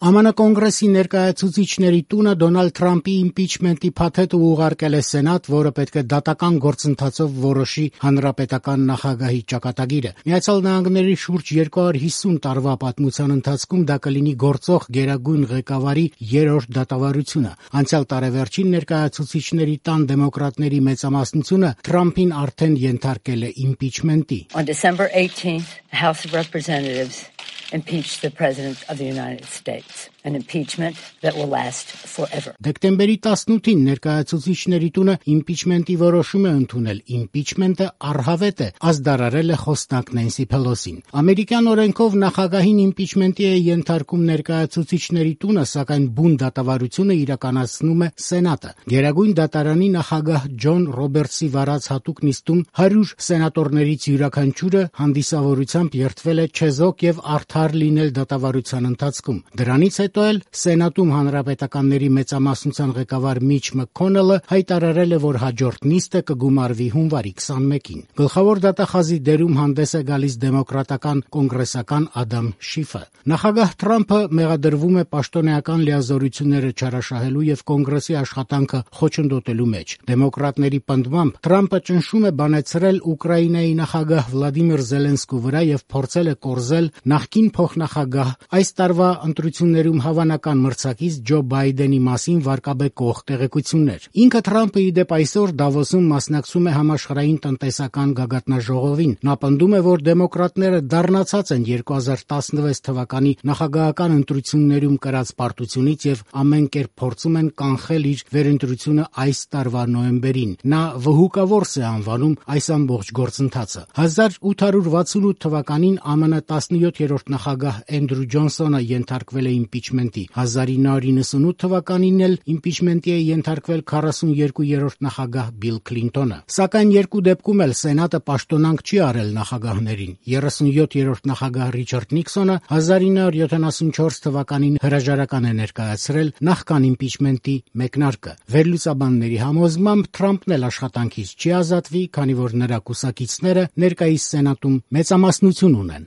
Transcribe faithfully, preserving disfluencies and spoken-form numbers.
Է Մ Ն Կոնգրեսի ներկայացուցիչների տունը Դոնալդ Թրամփի իմպիչմենտի փաթեթը ուղարկել է Սենատ, որը պետք է դատական գործընթացով որոշի հանրապետական նախագահի ճակատագիրը։ Միացյալ Նահանգների շուրջ երկու հարյուր հիսուն տարվա պատմության ընթացքում դա կլինի գործող գերագույն ղեկավարի երրորդ դատավարությունը։ Անցյալ տարեվերջին ներկայացուցիչների տան դեմոկրատների մեծամասնությունը Թրամփին արդեն ենթարկել է իմպիչմենտի։ On December eighteenth, the House of Representatives impeached the President of the United States, an impeachment that will last forever. Դեկտեմբերի տասնութին ներկայացուցիչների տունը իմպիչմենտի որոշում է ընդունել։ Իմպիչմենտը առհավետ է, ազդարարել է խոսնակ Նենսի Փելոսին։ Ամերիկյան օրենքով նախագահին իմպիչմենտի է ենթարկում ներկայացուցիչների տունը, սակայն բուն դատավարությունը իրականացնում է Սենատը։ Գերագույն դատարանի նախագահ Ջոն Ռոբերտսի վարած հատուկ նիստում հարյուր սենատորներից յուրաքանչյուրը հանդիսավորությամբ երդվել է չեզոք եւ արդար լինել դատավարության ընթացքում։ Դրանից հետո էլ Սենատում հանրապետականների մեծամասնության ղեկավար Միչ Մաքքոնելը հայտարարել է, որ հաջորդ նիստը կգումարվի հունվարի քսանմեկին։ Գլխավոր դատախազի դերում հանդես է գալիս դեմոկրատական կոնգրեսական Ադամ Շիֆը։ Նախագահ Թրամփը մեղադրվում է պաշտոնեական լիազորությունները չարաշահելու եւ կոնգրեսի աշխատանքը խոչընդոտելու մեջ։ Դեմոկրատների պնդմամբ Թրամփը ճնշում է բանեցրել Ուկրաինայի նախագահ Վլադիմիր Զելենսկու վրա եւ փորձել է կորզել նախկին փոխնախագահ այս տարվա ընտրություններում հավանական մրցակից Ջո Բայդենի մասին վարկաբեկող տեղեկություններ։ Ինքը Թրամփը ի դեպ այսօր Դավոսում մասնակցում է համաշխարհային տնտեսական գագաթնաժողովին։ Նա պնդում է, որ դեմոկրատները դառնացած են երկու հազար տասնվեց թվականի նախագահական ընտրություններում կրած պարտությունից եւ ամեն կերպ փորձում են կանխել իր վերընտրությունը այս տարվա նոյեմբերին։ Նա վհուկավորս է անվանում այս ամբողջ գործընթացը։ հազար ութ հարյուր վաթսունութ թվականին Ա Մ Ն տասնյոթերորդ նախագահ Էնդրու Ջոնսոնը ենթարկվել է իմպիչմենտի։ հազար ինը հարյուր իննսունութ թվականին էլ իմպիչմենտի է ենթարկվել քառասունյոթերորդ նախագահ Բիլ Քլինտոնը։ Սակայն երկու դեպքում էլ Սենատը պաշտոնանկ չի արել նախագահներին։ երեսունյոթերորդ նախագահ Ռիչարդ Նիքսոնը հազար ինը հարյուր յոթանասունչորս թվականին հրաժարական է ներկայացրել նախքան իմպիչմենտի մեկնարկը։ Վերլուծաբանների համոզմամբ Թրամփն էլ աշխատանքից չի ազատվի, քանի որ նրա կուսակիցները ներկայիս Սենատում մեծամասնություն ունեն։